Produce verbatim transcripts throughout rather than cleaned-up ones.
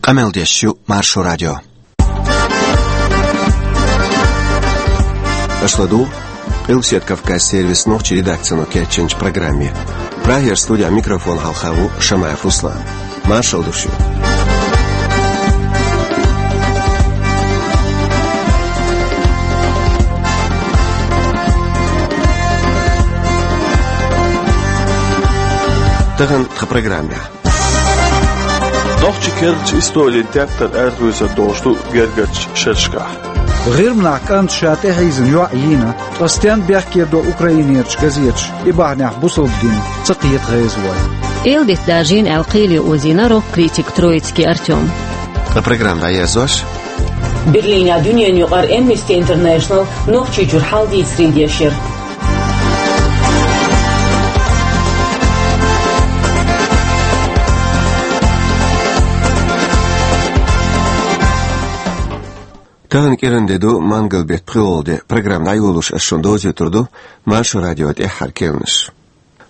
Къамел деш ю Маршо радио. Аша ладугӀу Къилбаседа Кавказан сервисан нохчийн редакцино кечйинчу программе. Прагера студин микрофон хьалха ву Шамаев Руслан. Маршалла ду шуьга. Тахана тхан программехь. Нохчийн керлачу историн тептар арахоьцур долуш ду гергарчу шерашкахь. ГӀирманахь кӀанта ша тӀехьийзина йоӀ йийна, ткъа стенна бехке до Украинерчу газеташа, и бахьанехь бусалба дин ца кхета гӀезалой. Эладита даржийна аьлла кхеле озийна рок-критик Троицкий Артём. Ткъа программа дӀаерзош. Берлинехь дуьненан юкъара Amnesty International Нохчийчуьра хьал дийцаре дешира. Тахана кӀиран де ду, мангал беттан пхоьалгӀа де. Программа дӀайолош ас шуна довзуьйтур ду Маршо радион тӀаьххьара керланаш.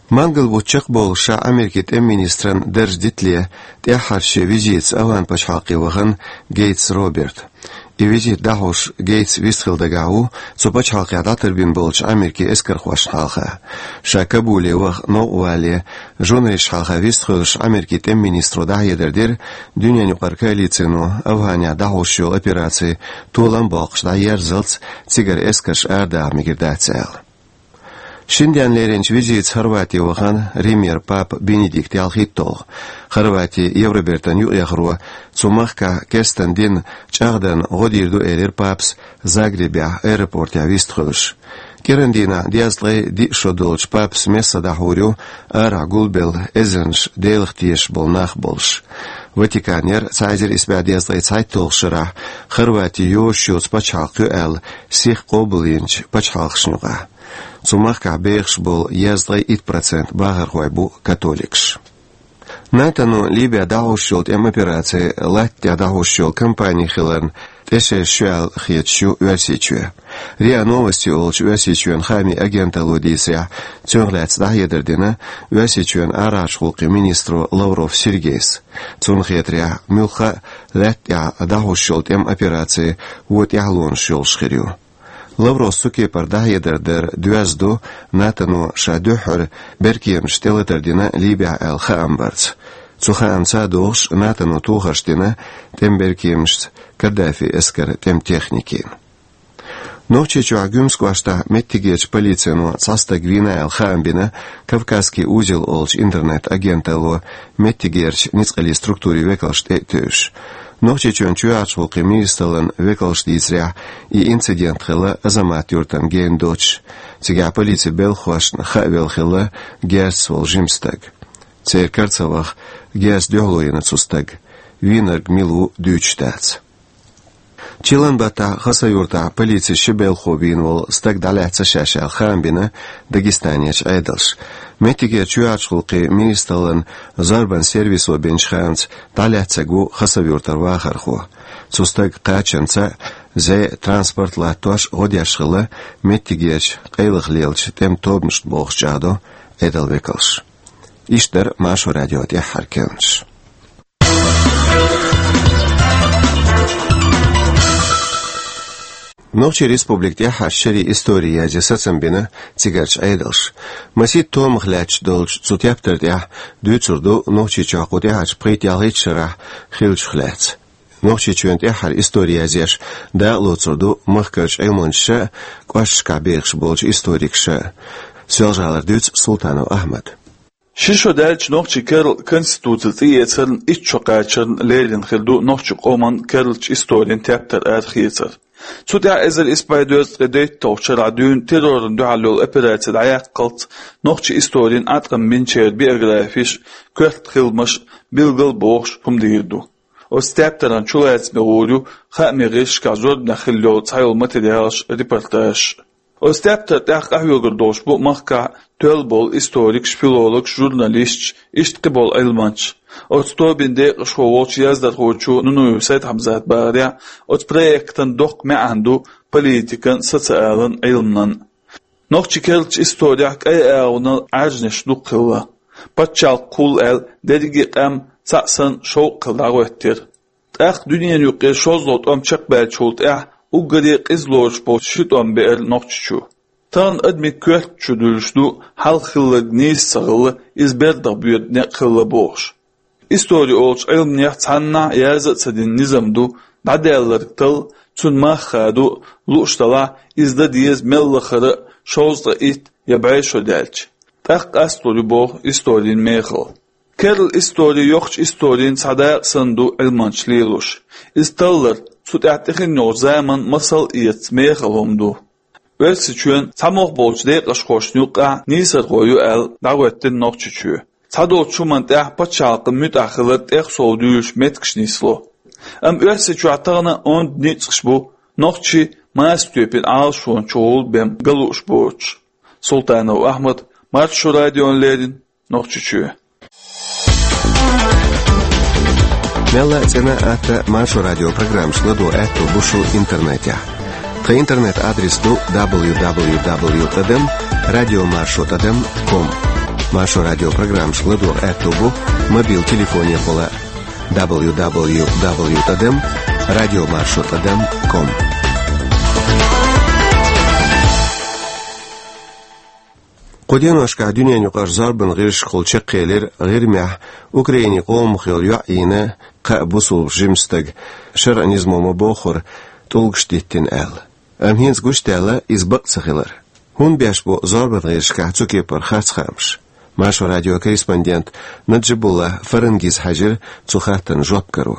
Мангал бутт чекхболуш ша Америкин тӀеман министран дарж дитале, тӀаьххьарчу шен визитаца ОвхӀан пачхьалкхе вахана Гейтс Роберт. И визит дӀахьош Гейтс вистхила дагахь ву цу пачхьалкхехь дӀатарбина болчу Америкин эскархошна хьалха. Ша Кабуле ваха новкъа валале, журналисташна хьалха вистхуьлуш Америкин тӀеман министро дӀахьедар дира дуьненан юкъара коалицино ОвхӀанехь дӀахьош йолу операци толам а боккхуш дӀаерзалц, цигара эскарш арадаха мегар дац аьлла. Шина денна леринчу визитаца Хорвати вахана Римера папа Бенедикт ялхитталгӀа. Хорвати Евробертан юкъаяхаро цу махкахь кестан дин чӀагӀдан гӀо дийр ду, элира папас Загребехь аэропортехь вистхуьлуш. КӀиран дийнахь дезткъе диъ шо долчу папас месса дӀахьур ю арахь гулбелла эзарнаш Делах тешаш болу нах болуш. Ватикан яра цхьа эзар исс бӀе дезткъе цхьайтталгӀачу шарахь Хорвати йозуш йоцу пачхьалкх ю аьлла сиха къобалйинчу пачхьалкхашна юкъахь. Цу махкахь бехаш болу дезткъе итт процент бахархой бу католикаш. НАТОно Либехь дӀахьош йолу тӀеман операци латта тӀехь дӀахьош йолу кампани хиларна тӀе шераш ю аьлла хеташ ю Оьрсийчоь. РИА Новости олучу Оьрсийчоьнан хаамийн агенталло дийцарехь, цунах лаьцна дӀахьедар дина Оьрсийчоьнан арахьарчу гӀуллакхийн министро Лавров Сергейс. Цунна хетарехь, муьлхха а лаьтта тӀехь дӀахьош йолу тӀеман операци вон тӀаьхьалонаш йолуш хир ю. Лавровс цу кепара дӀахьедар дар доьзна ду НАТОно ша дуьххьара беркеманаш тӀелатар дина Либехь аьлла хаам барца. Цу хаамца а догӀуш, НАТОно тохарш дина тӀеман беркеманашца Каддафин эскаран тӀеман техникина. Нохчийчохь Гуьмсан кӀоштахь меттигерчу полицино цхьа стаг вийна аьлла хаам бина «Кавказский узел» олучу интернет-агенталло меттигерчу ницкъаллин структурийн векалшна тӀе а тевжаш. Нохчийчоьнан чоьхьарчу гӀуллакхийн министраллан векалша дийцарехь, и инцидент хилла Азамат-Юртана гена доцуш. Цигахь полицин белхахошна хаавелла хилла герзаца волу жима стаг. Церан кара ца ваха, герз дуьхьало йина цу стага. Вийнарг мила ву дуьйцуш дац. Чиллан баттахь Хасавюртахь полицин ши белхахо вийна волу стаг дӀалаьцна ша аьлла хаам бина Дагестанерчу Ӏедалша. Меттигерчу чоьхьарчу гӀуллакхийн министраллан зорбанан сервисо бинчу хаамца, дӀалаьцнарг ву Хасавюртара вахархо. Цу стага кхачанца зӀе а, транспорт а латтош гӀо деш хилла меттигерчу къайлаха лелачу тӀеман тобанашна бохуш чӀагӀдо Ӏедалан векалша. Иштта дара Маршо радион тӀаьххьара керланаш. Нохчийн республикан тӀаьххьарчу шерийн истори язъян сацам бина цигарчу Ӏедалша. Масийтта томах лаьтташ долчу цу тептар тӀехь дуьйцур ду Нохчийчохь кху тӀаьхьарчу пхийтта-ялхийтта шарахь хиллачух лаьцна. Нохчийчоьнан тӀаьххьара истори язъеш дакъалоцур ду махкарчу Ӏилманчаша а, кӀошташкахь бехаш болчу историкаша а. Соьлжа-ГӀалара дуьйцу Султанов Ахьмада. Ши шо даьлча нохчийн керла конституци цӀе эцарна итт шо кхачарна лерина хир ду нохчийн къоман керлачу историн тептар арахецар. Цу тӀехь эзар исс бӀе дезткъе дейтталгӀачу шарахь дуьйна террорна дуьхьал йолу операци дӀаяккхалц нохчийн историн Ӏаткъам бинчеран биографиш, коьрта хиламаш билгал а бохуш хӀума дийр ду. Оцу тептаран чулацаме гӀур ю хаамийн гӀирсашкахь зорбанехь хилла йолу цхьайолу материалаш, репортажаш. Оцу тептар тӀехь къахьоьгур долуш бу махкахь тоьлла болу историкаш, филологаш, журналисташ, иштта кхин болу Ӏилманчаш. Оцу тобин декъашхо волчу яздархочо Нунуев Сайд-Хьамзата бахарехь, оцу проектан доккха маьӀна ду политикан, социалан, Ӏилманан. Нохчийн керлачу исторехь кӀайн агӀонал Ӏаьржанаш дукха хилла. Пачхьалкх кхуллу аьлла, дерриге а къам цхьаъ санна шовкъ хилла дӀагӀоьттира. ТӀаккха дуьненаюкъе шозлагӀа тӀом чекхбаьллачул тӀаьхьа уггаре къиза лоруш болча ши тӀом беара Нохчийчу. Тахана адамий коьрта чу дуьллуш ду хьалха хилларг нийса ца хилла, иза бердах боьду некъ хилла бохуш. Истори олучу Ӏилманех цхьаннахьа язда а ца дина низам ду, дӀадаьлларг талла, цуьнан мах хадо а, лууш делахь, иза дан деза мел лахара а шовзткъе итт я бӀе шо даьлча. ТӀаккха къасталур ю боху историн мехалла. Керла истори йоккхачу историн цхьа дакъа санна ду Ӏилманчаша лелош. Иза таллар, цу тӀехь тӀехь йолчу заманан масал а эца мехала хӀума ду. Оьрсийчоьнан цхьамогӀа болчу декъашхошна юккъехь нийсархо ю аьлла дӀахӀоьттина Нохчийчоь. Цхьадолчу хӀуманна тӀехь пачхьалкхан муьтӀахь хилар тӀех сов дуьйлуш меттигаш нисло. Амма Оьрсийчохь тахана онда ницкъаш бу нохчий маса тоьпан Ӏалашонан чухула бен ган лууш боцуш. Султанов Ахьмад, Маршо радиона леррина, Нохчийчоь. Мелла а цӀена а атта Маршо радион программашка ладогӀа аьтто бу шун интернетехь. Тхан интернет-адрес ду дабл ю дабл ю дабл ю тӀадам радио маршо тӀадам ком. Маршо радион программашка ладогӀа аьтто бу мобил телефонехула дабл ю дабл ю дабл ю тӀадам радио маршо тӀадам ком. Кху деношкахь дуьненаюкъара зорбанан гӀирсашкахула чекхъелира ГӀирмехь Украинин къомах йолу йоӀ йийна кхаа бусулба жима стага, шарӀан низамо ма-боххура, тӀулгаш диттина аьлла. Амма хӀинца гучудаьлла иза бакъ ца хилар. ХӀунда беш бу зорбанан гӀирсашкахь цу кепара харц хаамаш? Маршо радион корреспондент Наджибулла Фарангиз хьаьжира цу хаттарна жоп каро.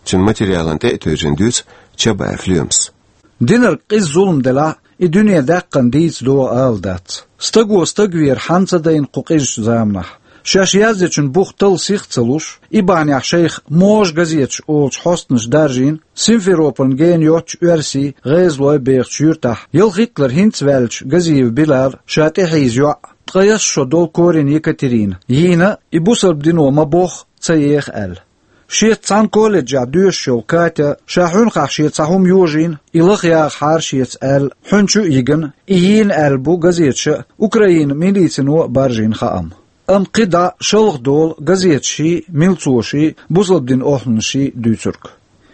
Цуьнан материалан тӀе а тевжина дуьйцу Чабаев Лоьмас. Динарг къиза зулам делахь, и дуьне даьккхина дийца догӀу ала дац. Стаго стаг вер хьанна ца дайна кху къизачу заманахь? Шаьш яздечун бух талла сих а ца луш, и бахьанехь шайх «Можа газеташ» олучу хьостанаша даржийна, Симферополна гена йоццуш оьрсий, гӀезалой бехачу юьртахь, ялхитталгӀа хӀинца ваьллачу Газиев Билала ша тӀехьийза йоӀ, ткъе исс шо долу Корин Екатерина, йийна, и бусалба дино ма-бохху, ца еха аьлла. Шеца цхьана колледжехь доьшуш йолу Катя, ша хьуьнхахь шен цхьа хӀума йожийна, и лаха яхахьара шеца аьлла, хьуьнчу а йигна, и йийна аьлла бу газеташа а, Украинан милицино а баржийна хаам. Амма кхидӀа шалха долу газеташий, милцоший, бусалба динан охьанаший дуьйцург.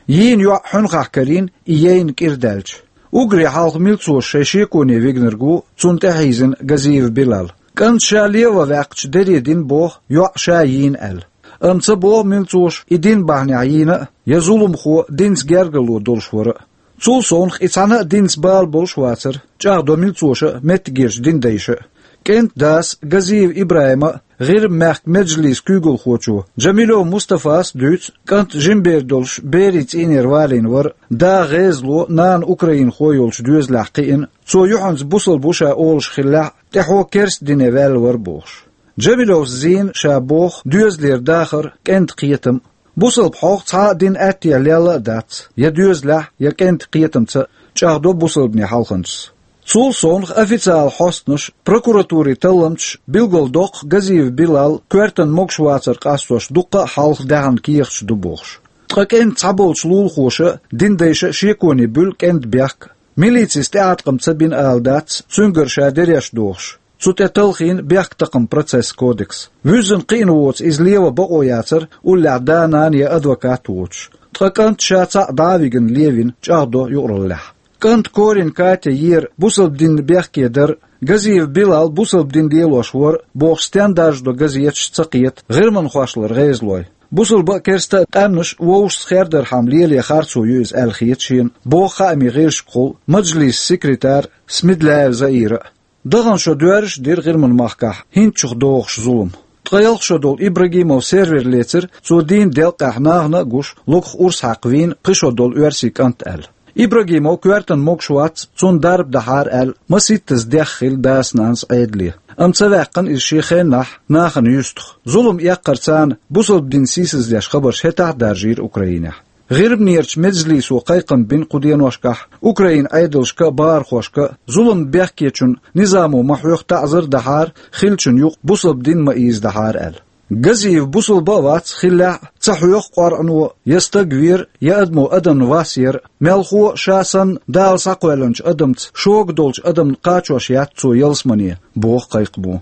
Йийна йоӀ хьуьнхахь карийна, и яйна кӀира даьлча. Уггаре хьалха милцоша шайн шеконе вигнарг ву цунна тӀехьийзина Газиев Билал. КӀанта ша леван ваьккхича даре дина боху, йоӀ ша йийна аьлла. Амма ца боху милцоша, и дин бахьанехь йийна а, я зуламхо динца гергарло долуш вара а. Цул совнаха и цхьана а динца бала болуш вацара, чӀагӀдо милцоша а, меттигерчу динан дайша а. КӀентан дас Газиев ИбрахӀима а, ГӀирма-мехкан меджлисан куьйгалхочо Джамилев Мустафас а дуьйцу кӀант жима бер долуш берийн цӀийнера валийна вара, да гӀезало, нана украинхо йолчу доьзалехь кхиъна, цо юьхьанца бусалба ву ша олуш хиллехь а, тӀаьхьо керста дине ваьлла вара бохуш. Джамилевс зийна ша боху доьзалера дахар а, кӀентан кхетам а. Бусалба хьох цхьа а дин аьттехьа лелла а дац, я доьзалехь, я кӀентан кхетамца а, чӀагӀдо бусалбанийн хьалханчас. Цул совнаха официалан хьостанаша, прокуратурин талламчаша билгалдоккху Газиев Билал коьртан могуш вацар къастош дуккха а хьалха даьхна кехаташ ду бохуш. Ткъа кӀентан цхьаболчу лулахоша а, динан дайша а шеконе буьллу кӀентан бехк. Милицис тӀеӀаткъам ца бина ала дац, цуьнгара ша дереш дохуш. Цу тӀе талхийна бехктакхаман процессан кодекс. Вуьззина кхиъна воцу иза леван бакъо яцара, уллехь да-нана я адвокат а воцуш. Ткъа кӀант ша цхьаъ дӀа а вигна левина, чӀагӀдо юкъараллехь. КӀанта Корин Катя ера бусалба динна бехке дар а, Газиев Билал бусалба дин лелош вара а бохуш стен даржадо газеташ ца кхета гӀирманхошлара гӀезалой. Бусалба а, керста а къаьмнаш вовшашца хердархьама лело харцо ю иза аьлла хета шена, боху хаамийн гӀирсашкахула Маджлисан секретарь Смедляева Заира а. Дахана шо доьрзуш а дира ГӀирман махкахь хӀинцачух догӀуш зулам. Ткъе ялх шо долу Ибрагимов Сервер лецира, цо дийна делкъехь нахана а гуш, логах урс хьаькхна вийна пхи шо долу оьрсийн кӀант аьлла. Ибрагимов коьртан могуш вац, цунна дарба дахьара аьлла, масийттаза дехха хилла дас-нанас Ӏедале. Амма ца ваьккхина иза шен хеннахь нахана юьстах. Зулам эккхар царна бусалба дин сийсаздеш хабарш хӀетахь а даржийра Украинехь. ГӀирмнерчу меджлисо кхайкхам бина кху деношкахь Украинан Ӏедалшка а, бахархошка а, зуламна бехкечун низамо ма-хьоьхху таӀзар а дахьара, хиллачун юкъа бусалба дин ма-ийзадахьара аьлла. Газиев бусалба а вац, хиллехь а, ца хьоьху къоръано я стаг вер, я адамо адамна вас яр, мелхо а, ша санна Дала схьакхоьллинчу адамца шога долчу адамна кхачош яц цо ялсамане, боху кхайкхамо.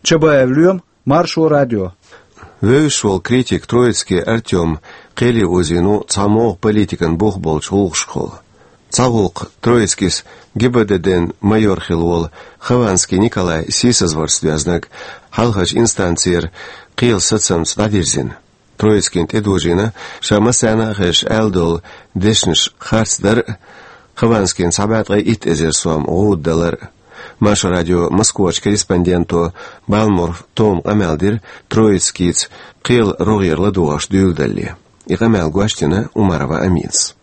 Чабаев Лоьма, Маршо радио. Вевзаш волу критик Троицкий Артём кхеле озийна ву цхьа могӀа политикан бух болчу гӀуллакхашкахула. Цхьа гӀуллакх Троицкис ГБДД-н майор хилла волу Хованский Николай сийсазварца доьзнарг хьалхарчу инстанцера кхелан сацамца дӀадирзина. Троицкийна тӀедожийна ша массарна а хезаш аьлла долу дешнаш харцдар а, Хованскийна цхьа бӀе ткъе итт эзар сом гӀуда далар а. Маршо радион Москвачу корреспонденто Балмуров Тома къамел дира Троицкийца кхелан рогӀера ладогӀарш дуьйладалале. И къамел гочдина Умарова Аминас.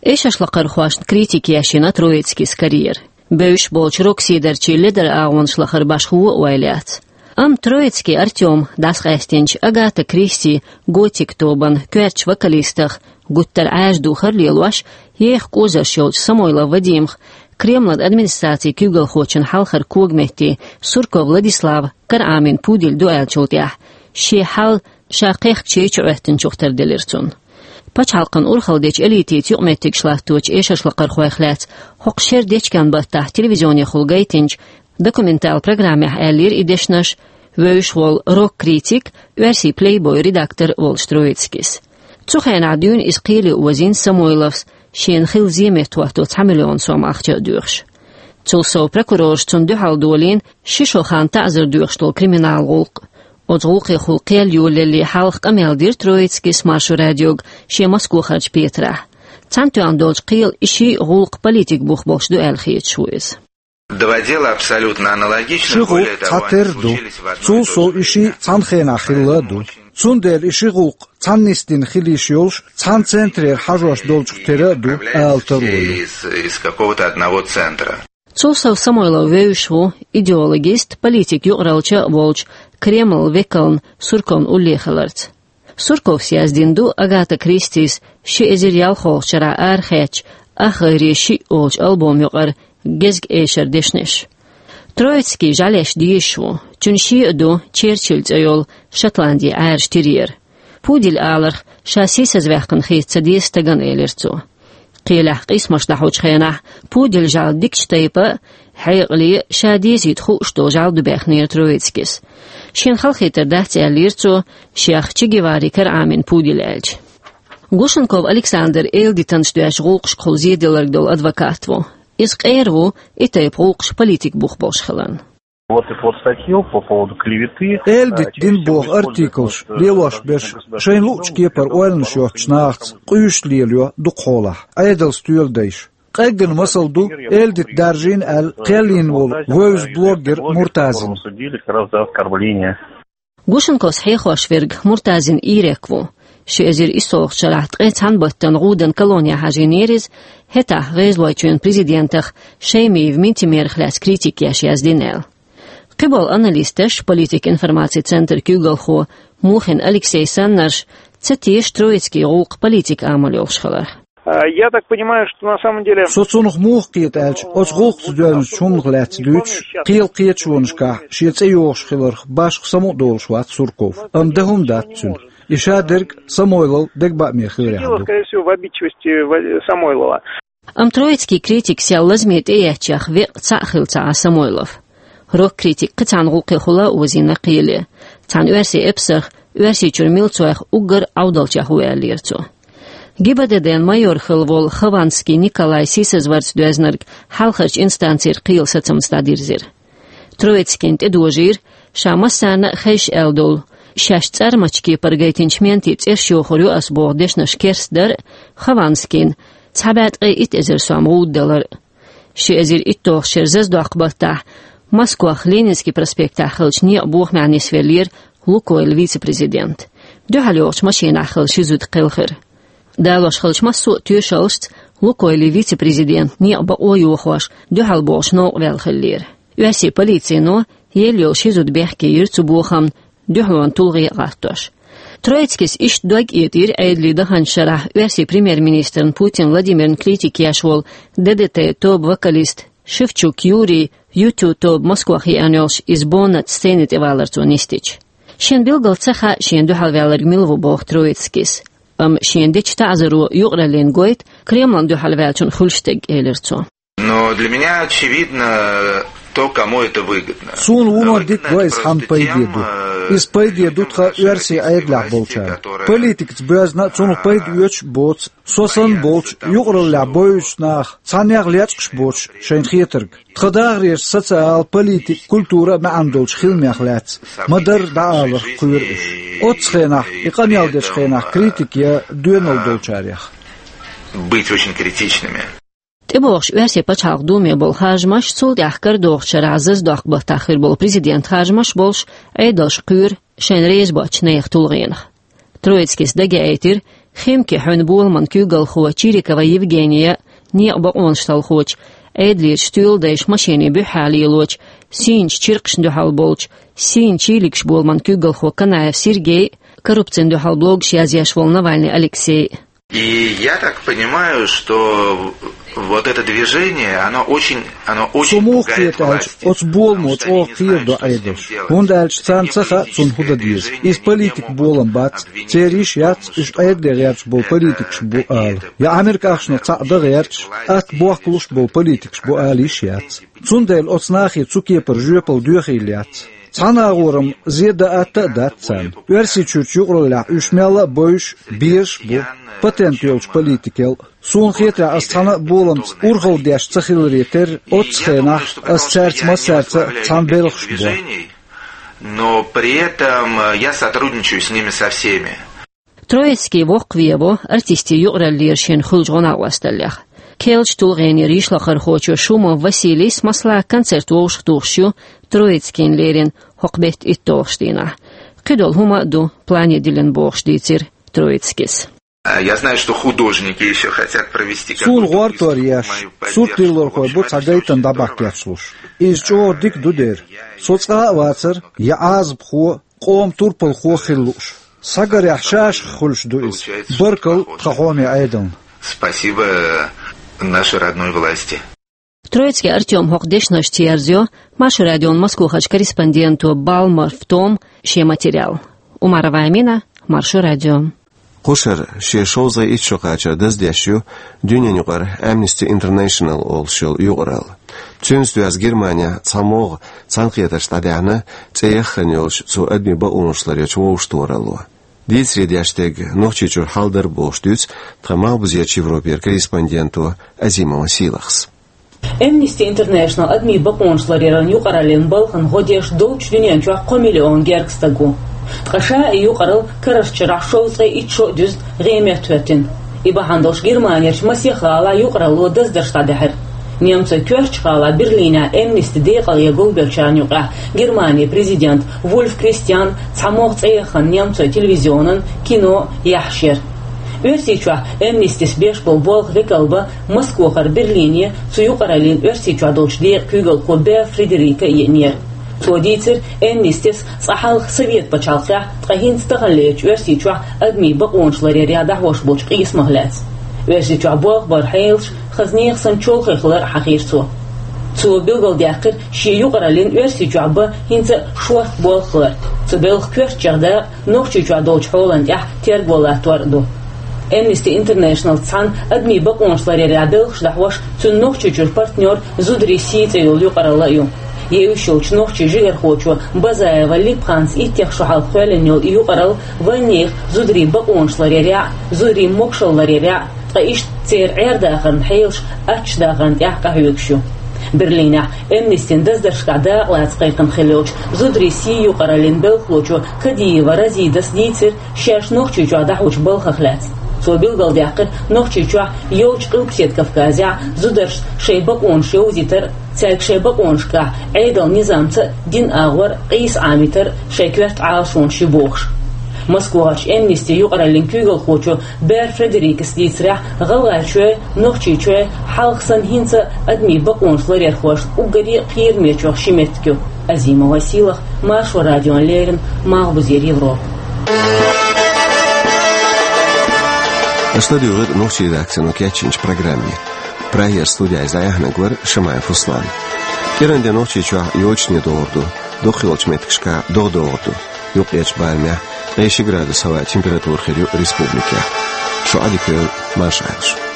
Эшаршлакхархошна критика еш йина Троицкийс карьера. Бевзаш болчу рок-сийдарчийн ледара агӀонаш лахара башха вон а ойла яц. Амма Троицкий Артём дӀасакъаьстинчу «Агата Кристи» готик тобан коьртачу вокалистах гуттар а Ӏаьржа духар а лелош, еха кӀозарш йолчу Самойлов Вадимах Кремлан администрацин куьйгалхочун хьалхара когаметта Сурков Владислава кара Ӏамийна пудель ду аьллачул тӀаьхьа, шен хьал ша кхехкачу чу Ӏоьттинчух тарделира цунна. Пачхьалкхан урхалла дечу элитица юкъаметтигаш латточу эшаршлакхархойх лаьцна хӀокху шеран дечкен баттахь телевизионехула гайтинчу документал программехь аьллера и дешнаш вевзаш волу рок-критик, оьрсийн «Плейбой» редактор волчу Троицкийс. Цу хенахь дуьйна иза кхеле озийна Самойловс, шена хилла зен меттахӀотто цхьа миллион сом ахча а доьхуш. Цул сов прокурорша цунна дуьхьал долийна ши шо хан таӀзар доьхуш долу криминал гӀуллакх. Оцу гӀуллакхехула кхел йолалале хьалха къамел дира Троицкийс Маршо радиога шен Москвахарчу петарехь. Цхьана тоьхна долчу кхелан и ши а гӀуллакх политикан бух болуш ду аьлла хеташ ву иза. Два дела абсолютно аналогичных. Ши гӀуллакх цхьатерра ду. Цул сов и шиъ цхьана хенахь хилла а ду. Цундела и ши гӀуллакх цхьана нисдина хила йиш йолуш, цхьана центрера хьажош долчух тера а ду, ала таро ю. Из, из какого-то одного центра. Цул сов Самойлов вевзаш ву идеологист, политик юкъараллача а волчу Кремлан векална Сурковна уллехь хиларца. Сурковс яздина ду Агата Кристис ши эзар ялхолгӀачу шарахь арахецначу «Ах, гӀайре шиъ» олучу альбом юкъара гезгаш эшаран дешнаш. Троицкий жӀаьлеш дезаш ву, цуьнан шен а ду Черчилль цӀе йолу Шотландин Ӏаьржа терьер. Пудель аларх ша сийсазваьккхина хета ца деза стагана, элира цо. Кхелехь къийсамаш дӀахьочу хенахь пуделан жӀаьла дикачу тайпа а, хьекъале а ша дезийта хууш долу жӀаьла ду баьхнера Троицкийс. Шена халахетар дац, аьллера цо, шех Че Геварин кара Ӏамийна пудель аьлча. Гушенков Александр эладитанаш доьзначу гӀуллакхашкахула зеделларг долу адвокат ву. Иза къера ву и тайпа гӀуллакхаш политикан бух болуш хиларна. Вот эта вот статья по поводу клеветы. Эладита дина боху артиклаш лелош берш шайна луъучу кепара ойланаш йоцучу нахаца къуьйсуш лелайо дукхахьолахь Ӏедалан стоьла дайша. Къеггина масал ду эладита даржийна аьлла кхел йина волу вевза блогер Муртазин. Его судили как раз за оскорбление. Гушенковс хьехош верг Муртазин Ирек ву. Ши эзар иссолгӀачу шарахь ткъе цхьана баттана гӀудан колоне хьажийнера иза, хӀетахь ГӀезалойчоьнан президентах Шаймиев Минтимерах лаьцна критика еш яздина аьлла. Кхиболу аналисташ, политикан информацин центран куьйгалхо Мухин Алексей саннарш, ца теша Троицкийн гӀуллакх политикан амал йолуш хилар. А, я так понимаю, что на самом деле... Со цунах муха кхета аьлча, оцу гӀуллакхца доьзначу хӀуманах лаьцна дуьйцуш, кхелан кхеташонашкахь шен цӀе йохуш хиларх башха самукъадолуш вац Сурков, амма дан хӀума дац цуьнан. И шадерг Самойлов дегабааме хиларехь ду. Дело, скорее всего, в обидчивости Ва-, Самойлова. Амма Троицкийн критикас ял лазаме тӀеэцнех веккъа цхьаъ хилла ца Ӏа Самойлов. Рок-критик кхин цхьана гӀуллакхехула а озийна кхеле. Цхьана оьрсийн эпсарх Оьрсийчуьра милцойх уггар Ӏовдалчех ву аьллера цо. ГБДД-н майор хилла волу Хованский Николай сийсазварца доьзнарг хьалхарчу инстанцера кхелан сацамца дӀадирзира. Троицкийна тӀедожийра ша массарна а хезаш аьлла долу, шаьш цӀармачу кепара гайтинчу ментийн цӀерш йохур ю ас боху дешнаш керстдар а, Хованскийна цхьа бӀе ткъе итт эзар сом гӀуда далар а. Ши эзар иттолгӀачу шеран зазадоккху баттахь Москвахь Ленинский проспектехь хиллачу некъан бохамехь нисвеллера «Лукойл» вице-президент. Дуьхьал йогӀучу машинахь хилла ши зуда кхелхира. Далош хиллачу массо а тоьшаллашца «Лукойлан» вице-президент некъан бакъо йохош, дуьхьал богӀуш новкъа ваьлла хиллера. Оьрсийн полицино елла йолу ши зуда бехке йира цу бохамна, дуьхьалонан тулгӀе а гӀаттош. Троицкийс иштта дог а этӀийра Ӏедале даханчу шарахь оьрсийн премьер-министрна Путин Владимирна критика еш волу ДДТ тобан вокалист Шевчук Юрий ю ту тобан Москвахь еана йолуш иза бонат сцени тӀе валар цо нисдича. Шена билггал ца хаьа шена дуьхьалваьлларг мила ву боху Троицкийс. Амма шена дечу таӀзаро юкъараллин гойту Кремлан дуьхьалваьллачун хуьлуш дерг, элира цо. Но для меня очевидно, То, кому это выгодно. Суна вуно дика го иза хьан пайде ду. Иза пайде ду тха оьрсий Ӏедалехь болчарна. Политикаца боьзна а цунах пайда оьцуш а боцу, со санна болчу юкъараллехь бевзачу наха, цхьаннех лечкъаш а боцуш шайна хетарг. Тхан дахарерчу социал, политика, культура а маьӀна долчу хиламех лаьцна ма-дарра дӀааларх кхоьру уьш. Оццу хенахь, и къамел дечу хенахь критика я доьналла долчарех. Быть очень критичными. ТӀебогӀуш Оьрсийн пачхьалкхан Думе болу харжамаш, цул тӀаьхьа карадогӀучу шарахь Зазадоккху-баттахь хир болу президент харжамаш болуш, Ӏедалша кхоьру шайна реза боцчу нехан тулгӀенах. Троицкис дагаяийтира, Химки хьуьнан боламан куьйгалхо Чирикова Евгения, некъан бакъонаш талхочу, Ӏедалерчу стоьладайша машенийн буьххьехь лелочу, сийначу чиркхашна дуьхьал болчу, сийна чийлигаш боламан куьйгалхо Канаев Сергей, коррупцина дуьхьал блогаш язъеш волу Навальный Алексей. И я так понимаю, что вот это движение, оно очень, оно очень пугает власть. Со муха хета аьлча, оцу боламо чӀогӀа кхерадо Ӏедалш. ХӀунда аьлча царна ца хаьа цунна хӀун дан деза. Иза политикан болам бац, церан йиш яц уьш Ӏедале гӀерташ болу политикаш бу ала, я Ӏамеркахошна цхьаъ дан гӀерташ, атта бохкалуш болу политикаш бу ала йиш яц. Цундела оцу нахе цу кепара жоьпалла доьхийла яц. Цхьана агӀорам зе дан атта а дац царна. Оьрсийчуьрчу юкъараллехь уьш мелла а бевзаш, безаш а бу, патент йолчу политикел а. Суна хетарехь, ас цхьана а боламца урхалла деш ца хиларе терра, оццу хенахь ас цаьрца массаьрца а цхьаьна белхаш бо. Но при этом я сотрудничаю с ними со всеми. Троицкий воккхаве во артистийн юкъараллера шен хуьлучу гӀо-накъосталлех. Керлачу тулгӀенера йишлакхархочо Шумов Василийс, масала, концерт вовшахтухуш ю Троицкийна леррина хӀокху беттан итталгӀачу дийнахь. Кхидолу хӀума а ду плане диллина бохуш дийцира Троицкис. А, я знаю, что художники ещё хотят провести какую-то выставку в мою поддержку. Суна гӀортор еш, суртдиллархой бу цхьа гайтам дӀабахкечлуш. Иза чӀогӀа дика ду дера. Со цкъа а вацара, я Ӏазапхо, къоман турпалхо хила лууш. Схьагарехь шашах хуьлуш ду иза. Баркалла тхан хьоме Ӏедална. Спасибо нашей родной власти. Троицкий Артём хӀокху дешнашца ерзайо Маршо радион Москвахарчу корреспонденто Балмарф Тома шен материал. Умарова Амина, Маршо радио. Кху шарахь шен шовзткъе итт шо кхачар даздеш ю дуьненаюкъара Amnesty International олуш йолу юкъаралла. Цуьнца доьзна Германехь цхьа могӀа цхьаьнакхетарш дӀадаьхьна, цӀе яххана йолчу цу адамийн бакъонаш ларъечу вовшахтохаралло. Дийцаре деш дерг Нохчийчуьра хьал дара бохуш дуьйцу тхан малхбузерчу Европера корреспонденто Азимова Сийлахьас. Amnesty International адамийн бакъонаш ларъяран юкъараллин балхана гӀо деш долчу дуьнен чохь кхо миллион гергга стаг ву. Ткъа ша и юкъаралла карарчу шарахь шовзткъе итт шо а дуьзна гӀеметтахӀоьттина. И бахьана долуш Германерчу масех гӀалахь юкъаралло даздарш дӀадаьхьира. Немцойн коьртачу гӀалахь Берлинехь Amnesty декъалъе гулбеллачарна юкъахь Германин президент Вульф Кристиан цхьа могӀа цӀе яххана немцойн телевизионан, кинон яххьаш яра. Оьрсийчохь Amnestyс беш болу болх векалба Москвахара Берлине цу юкъараллин Оьрсийчохь долчу декъан куьйгалхо Бер Фредерика а еанера. Цо дийцира, Amnestyс цкъа хьалха Совет пачхьалкхехь, ткъа хӀинца таханлерчу Оьрсийчохь адамийн бакъонаш ларъярехь дӀахьош болчу къийсамах лаьцна. Оьрсийчохь болх баран хьелаш хаза нехан санна чолхе хилар а хьахийра цо. Цо билгалдаьккхира шен юкъараллин Оьрсийчохь бан хӀинца а шорта болх хилар. Цу белхан коьртачех дакъа Нохчийчохь долчу хьолан тӀехь терго латтор а ду. Amnesty International цхьана адамийн бакъонаш ларъярехь белхаш дӀахьош цуьнан Нохчийчуьра партнер «Зударий сий» цӀе йолу юкъаралла а ю. Евзаш йолчу нохчийн жигархочо Базаева Липханас иттех шо хьалха кхоьллина йолу и юкъаралла вайнехан зударийн бакъонаш ларъярехь а, зударийн могашалла ларъярехь а, ткъа иштта церан Ӏер-дахаран хьелаш аттачу дахарна тӀехь къахьоьгуш ю. Берлинехь Amnestyн даздаршкахь дакъалаца кхайкхина хилла йолчу «Зударий сий» юкъараллин белхалочо Кадиева Разидас дийцира шаьш Нохчийчохь дӀахьочу балхах лаьцна. Цо билгалдаьккхира, Нохчийчохь йолчу Къилбаседа Кавказехь зударшна шайн бакъонаш йовзийтар а, цаьрга шайн бакъонашкахь Ӏедалан низамца а, динан агӀор а къийса Ӏамийтар а шайн коьрта Ӏалашонаш ю бохуш. Москвахарчу Amnesty юкъараллин куьйгалхочо Бер Фредерикас дийцарехь, ГӀалгӀайчоь, Нохчийчоь хьалха санна хӀинца а адамийн бакъонаш ларъярхошна уггаре а кхерамечех ши меттиг ю. Азимова Сийлахь, Маршо радиона леррина, Малхбузера Европа. Аша ладуьйгӀира нохчийн редакцино кечйинчу программе. Прагера студехь иза дӀаяьхьнарг вара Шамаев Руслан. КӀиран де Нохчийчохь йочане догӀур ду, дукхахйолчу меттигашкахь догӀа догӀур ду. Юккъерчу барамехь ткъе ши градус хӀаваан температура хир ю республикехь. Шу Ӏадика йойла, марша Ӏайла шу.